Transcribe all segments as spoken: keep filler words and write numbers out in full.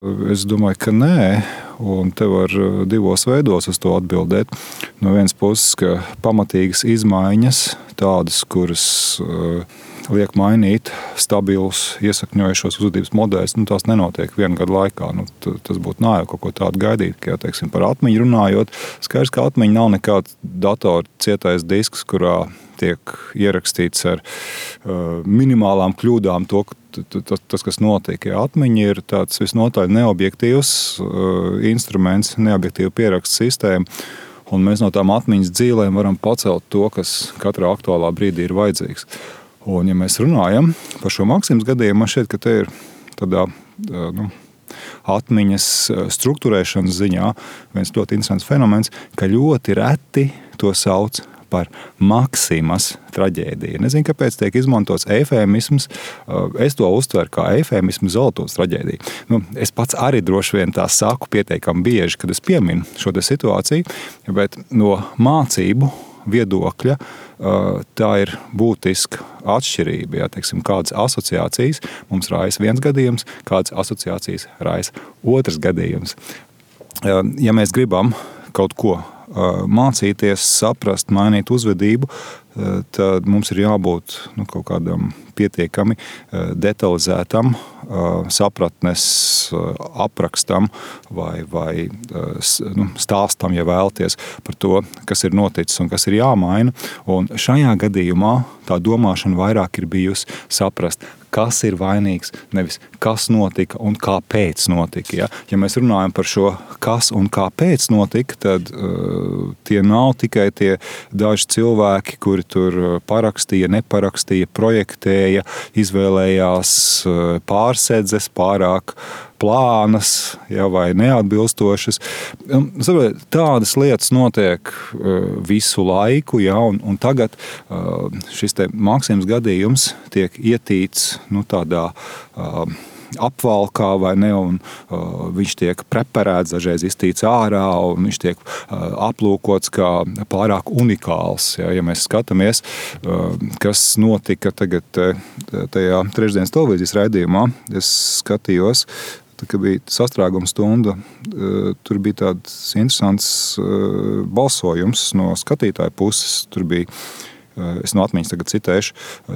Es domāju, ka nē, un te var divos veidos uz to atbildēt. No vienas puses, ka pamatīgas izmaiņas, tādas, kuras uh, liek mainīt stabilus, iesakņojušos uzvedības modeļus, nu, tās nenotiek vienu gadu laikā. Nu, tas būtu naivi kaut ko tādu gaidīt. Ka, teiksim, par atmiņu runājot, skaidrs, ka atmiņa nav nekāds datora cietais disks, kurā tiek ierakstīts ar uh, minimālām kļūdām to, tas, tas, kas notiek. Ja, atmiņa ir tāds visnotaļ neobjektīvs uh, instruments, neobjektīva pierakstu sistēma, un mēs no tām atmiņas dzīlēm varam pacelt to, kas katrā aktuālā brīdī ir vajadzīgs. Un, ja mēs runājam par šo Maksimas gadījumu, man šķiet, ka te ir tādā, nu, atmiņas struktūrēšanas ziņā viens ļoti interesants fenomens, ka ļoti reti to sauc par Maksimas traģēdiju. Nezinu, kāpēc tiek izmantots eifēmisms. Es to uztveru kā eifēmismu Zolotovas traģēdiju. Nu, es pats arī droši vien tā saku pietiekami bieži, kad es pieminu šo te situāciju, bet no mācību viedokļa tā ir būtiska atšķirība. Ja, teiksim, kādas asociācijas mums raisa viens gadījums, kādas asociācijas raisa otrs gadījums. Ja mēs gribam kaut ko mācīties, saprast, mainīt uzvedību, tad mums ir jābūt nu, kaut kādam pietiekami detalizētam sapratnes aprakstam vai, vai nu, stāstam, ja vēlaties, par to, kas ir noticis un kas ir jāmaina. Un šajā gadījumā tā domāšana vairāk ir bijusi saprast, kas ir vainīgs, nevis kas notika un kāpēc notika. Ja, ja mēs runājam par šo kas un kāpēc notika, tad uh, tie nav tikai tie daži cilvēki, kuri tur parakstīja, neparakstīja, projektēja, izvēlējās pārsedzes, pārāk plānas, ja, vai neatbilstošas. Tādas lietas notiek visu laiku, ja, un, un tagad šis te Maksimas gadījums tiek ietīts nu, tādā apvalkā vai ne, un uh, viņš tiek preparēts, dažreiz iztīts ārā, un viņš tiek uh, aplūkots kā pārāk unikāls. Ja, ja mēs skatāmies, uh, kas notika tagad tajā trešdienas televīzijas raidījumā, es skatījos, tā, kad bija sastrēguma stunda, uh, tur bija tāds interesants uh, balsojums no skatītāju puses, tur bija es no atmiņas tagad citēšu,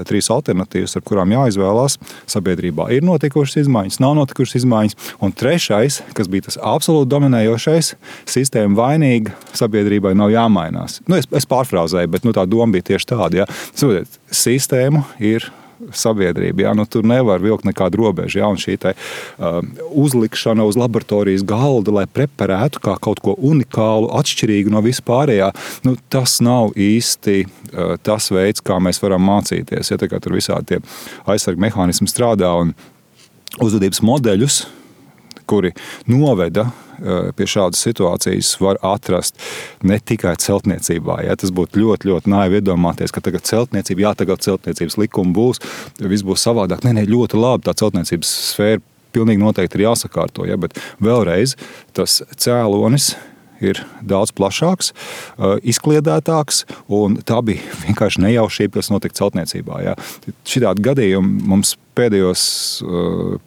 trīs alternatīvas, ar kurām jāizvēlās. Sabiedrībā ir notikušas izmaiņas, nav notikušas izmaiņas. Un trešais, kas bija tas absolūti dominējošais, sistēma vainīga, sabiedrībai nav jāmainās. Nu, es, es pārfrāzēju, bet nu, tā doma bija tieši tāda. Ja. Sistēma ir sabiedrība. Ja? Nu, tur nevar vilkt nekādu robežu. Ja? Un šī te, uh, uzlikšana uz laboratorijas galda, lai preparētu kā kaut ko unikālu, atšķirīgu no vispārējā, nu, tas nav īsti uh, tas veids, kā mēs varam mācīties. Ja? Tā kā tur visādi tie aizsarga mehānismi strādā un uzvedības modeļus, kuri noveda pie šādas situācijas, var atrast ne tikai celtniecībā. Ja? Tas būtu ļoti, ļoti naivi iedomāties, ka tagad celtniecība, jā, tagad celtniecības likuma būs, viss būs savādāk. Nē, nē, ļoti labi, tā celtniecības sfēra pilnīgi noteikti ir jāsakārto. Ja? Bet vēlreiz tas cēlonis ir daudz plašāks, izkliedētāks, un tā bija vienkārši nejaušība, kas notika celtniecībā. Ja? Šitādi gadījumi mums pēdējos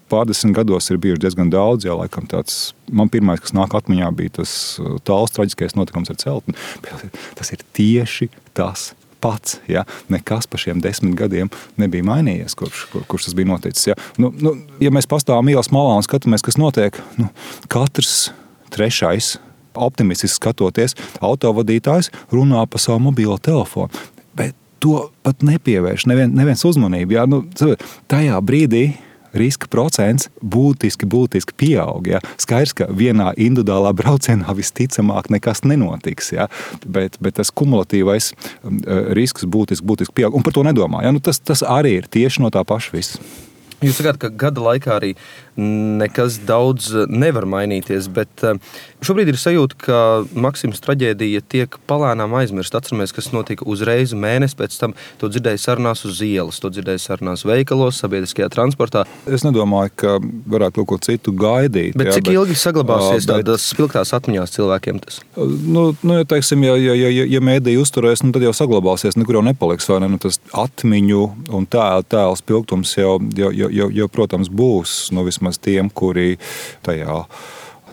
pārdesmit gados ir bijuši diezgan daudz. Jā, laikam tāds, man pirmais, kas nāk atmiņā, bija tas tāls traģiskais notikums ar celtni. Tas ir tieši tas pats. Ja? Nekas pa šiem desmit gadiem nebija mainījies, kurš, kur, kurš tas bija noticis. Ja, nu, nu, ja mēs pastāvam ielas malā un skatāmies, kas notiek, nu, katrs trešais, optimistiski skatoties, autovadītājs runā pa savu mobilo telefonu. Bet to pat nepievērš nevien, neviens uzmanību. Ja? Nu, tajā brīdī riska procents būtiski, būtiski pieaug. Ja? Skaidrs, ka vienā individuālā braucienā visticamāk nekas nenotiks. Ja? Bet, bet tas kumulatīvais risks būtiski, būtiski pieaug. Un par to nedomā. Ja? Nu, tas, tas arī ir tieši no tā paša viss. Jūs sakāt, ka gada laikā arī nekas daudz nevar mainīties, bet šobrīd ir sajūta, ka Maksimas traģēdija tiek palēnām aizmirst. Atceramies, kas notika uzreiz mēnesi pēc tam. To dzirdēja sarunās uz ielas, to dzirdēja sarunās veikalos, sabiedriskajā transportā. Es nedomāju, ka varētu kaut ko citu gaidīt. Bet jā, cik bet, ilgi saglabāsies bet, tādas spilgtās atmiņās cilvēkiem tas? Nu, nu ja, teiksim, ja, ja, ja, ja mēdī uzturēs, nu, tad jau saglabāsies, nekur jau nepaliks, vai ne? Nu, tas atmiņu un tēla, tēla spilgtums jau, jau, jau, jau, jau, protams, būs, nu, vismaz vismaz tiem, kuri tajā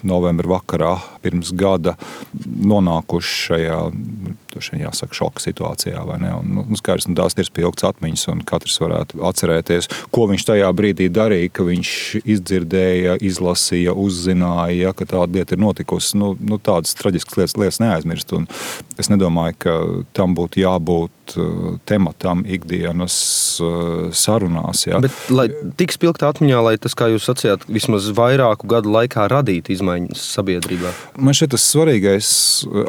novembra vakarā pirms gada nonākuši šajā, šajā jāsaka, šoka situācijā. Vai ne? Un, nu, skaidrs, nu, tās ir spilgtas atmiņas, un katrs varētu atcerēties, ko viņš tajā brīdī darīja, ka viņš izdzirdēja, izlasīja, uzzināja, ka tāda lieta ir notikusi. Nu, nu, tādas traģiskas lietas, lietas neaizmirst. Un es nedomāju, ka tam būtu jābūt tematam ikdienas sarunās. Ja? Bet, lai tik spilgtā atmiņā, lai tas, kā jūs sacījāt, vismaz vairāku gadu laikā radītu izmaiņas sabiedrībā? Man šeit tas svarīgais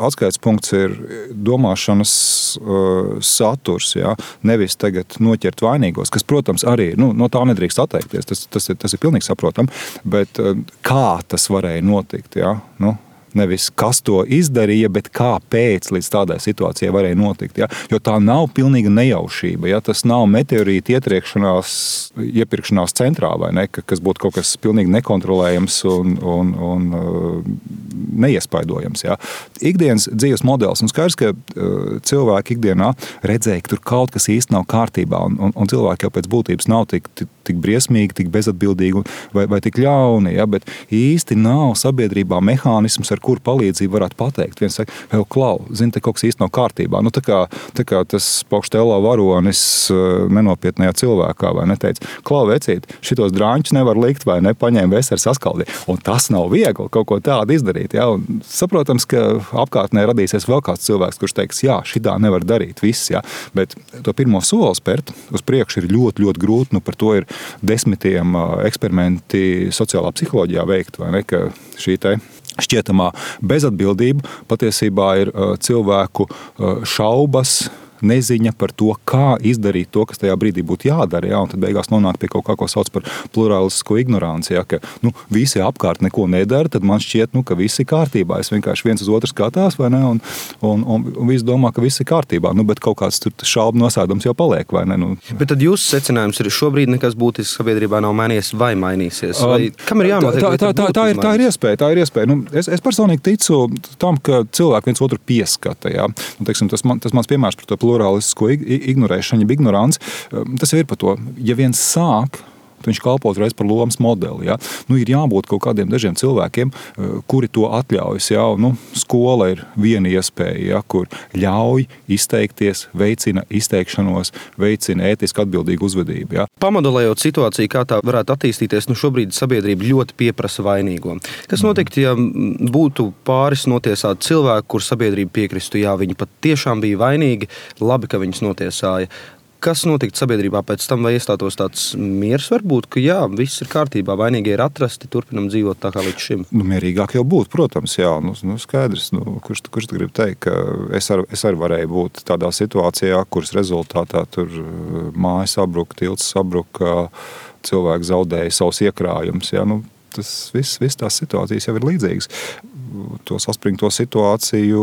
atskaites punkts ir domāšanas uh, saturs, ja? Nevis tagad noķert vainīgos, kas, protams, arī nu, no tā nedrīkst atteikties, tas, tas, ir, tas ir pilnīgi saprotam, bet uh, kā tas varēja notikt, ja? Nu, nevis kas to izdarīja, bet kāpēc līdz tādai situācijai varēja notikt. Ja? Jo tā nav pilnīga nejaušība. Ja? Tas nav meteorīta ietriekšanās, iepirkšanās centrā, vai ne? Kas būtu kaut kas pilnīgi nekontrolējams un, un, un neiespaidojams. Ja? Ikdienas dzīves modelis. Un skaidrs, ka cilvēki ikdienā redzēja, ka tur kaut kas īsti nav kārtībā. Un, un, un cilvēki jau pēc būtības nav tik, tik, tik briesmīgi, tik bezatbildīgi vai, vai tik ļauni. Ja? Bet īsti nav sabiedrībā mehānisms, ar kuru palīdzību varētu pateikt. Viens saka, vēl klau, zini, te kaut kas īsti nav kārtībā. Nu, tā kā, tā kā tas paukštēlā varonis nenopietnējā cilvēkā, vai neteica, klau, vecīt, šitos drāņus nevar likt, vai ne, paņēma veseli saskaldī. Un tas nav viegli kaut ko tādu izdarīt. Ja? Un saprotams, ka apkārtnē radīsies vēl kāds cilvēks, kurš teiks, jā, šitā nevar darīt viss. Ja? Bet to pirmo soli spērt uz priekšu ir ļoti, ļoti grūti. Nu, par to ir desmitiem eksperimenti sociālā psiholoģijā veikt, vai ne, ka šī te šķietamā bezatbildība patiesībā ir cilvēku šaubas, neziņa par to, kā izdarīt to, kas tajā brīdī būtu jādara. Ja? Un tad beigās nonāk pie kaut kā, ko sauc par plurālistisko ignoranci. Ja? Ka nu, visi apkārt neko nedara, tad man šķiet, nu, ka viss ir kārtībā. Es vienkārši viens uz otru skatās, vai ne? Un, un, un, un visi domā, ka viss ir kārtībā. Nu, bet kaut kāds tur šaubu nosēdums jau paliek, vai ne? Nu. Bet tad jūsu secinājums ir, šobrīd nekas būtisks sabiedrībā nav mainījies vai mainīsies? Vai kam ir jānotiek? Tā, tā, tā, tā, ir, tā ir iespēja. Tā ir iespēja. Nu, es, es personīgi ticu tam, ka cilvēki viens otru pieskata. Ja? Nu, teiksim, tas, man, tas mans piemērs par to plurālistisko ignorēšanu, ignoranci, tas ir par to, ja viens sāk, viņš kalpo uzreiz par lomas modeli. Ja? Nu, ir jābūt kaut kādiem dažiem cilvēkiem, kuri to atļaujas. Ja? Nu, skola ir viena iespēja, ja? Kur ļauj izteikties, veicina izteikšanos, veicina ētiski atbildīgu uzvedību. Ja? Pamodelējot situāciju, kā tā varētu attīstīties, nu šobrīd sabiedrība ļoti pieprasa vainīgo. Kas notiktu, ja būtu pāris notiesāti cilvēki, kur sabiedrība piekristu, jā, viņi pat tiešām bija vainīgi, labi, ka viņus notiesāja. Kas notiktu sabiedrībā pēc tam, vai iestātos tāds miers varbūt, ka jā, viss ir kārtībā, vainīgie ir atrasti, turpinam dzīvot tā kā līdz šim? Nu, mierīgāk jau būtu, protams, jā, nu, nu skaidrs, nu, kurš, kurš grib teikt, ka es, ar, es arī varēju būt tādā situācijā, kuras rezultātā tur māja sabruka, tilts sabruka, cilvēki zaudēja savus iekrājumus, jā, nu, tas viss, viss tās situācijas jau ir līdzīgas. To saspringto situāciju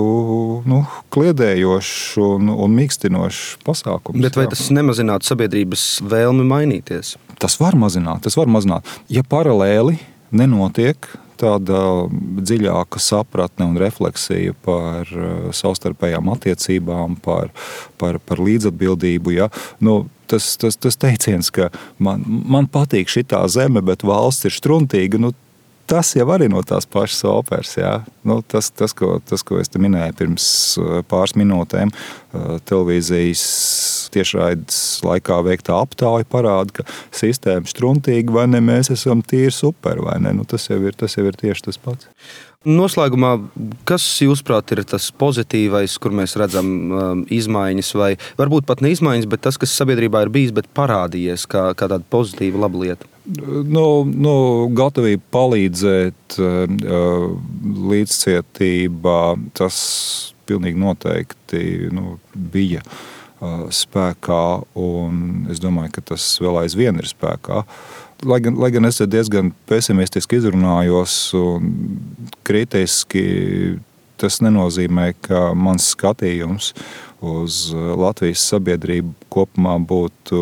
nu, kliedējošs un, un mīkstinošs pasākums. Bet vai jā. Tas nemazinātu sabiedrības vēlmi mainīties? Tas var mazināt, tas var mazināt. Ja paralēli nenotiek tāda dziļāka sapratne un refleksija par savstarpējām attiecībām, par, par, par līdzatbildību, ja, nu, tas, tas, tas teiciens, ka man, man patīk šitā zeme, bet valsts ir štruntīga, nu, tas jau arī no tās pašas operas. Jā. Nu, tas, tas, ko, tas, ko es te minēju pirms pāris minūtēm, televīzijas tiešraides laikā veiktā aptauja parāda, ka sistēma štruntīga vai ne, mēs esam tīri super vai ne. Nu, tas, jau ir, tas jau ir tieši tas pats. Noslēgumā, kas jūsuprāt ir tas pozitīvais, kur mēs redzam um, izmaiņas, vai varbūt pat ne izmaiņas, bet tas, kas sabiedrībā ir bijis, bet parādījies kā, kā tāda pozitīva laba lieta? Nu, nu, gatavība palīdzēt, uh, līdzcietība, tas pilnīgi noteikti nu, bija uh, spēkā, un es domāju, ka tas vēl aizvien ir spēkā. Lai gan, lai gan es diezgan pesimistiski izrunājos un kritiski, tas nenozīmē, ka mans skatījums uz Latvijas sabiedrību kopumā būtu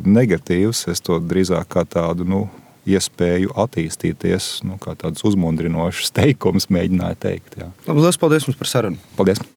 negatīvs. Es to drīzāk kā tādu nu, iespēju attīstīties, nu, kā tāds uzmundrinošs teikums mēģināju teikt. Jā. Labi, liels paldies jums par sarunu. Paldies.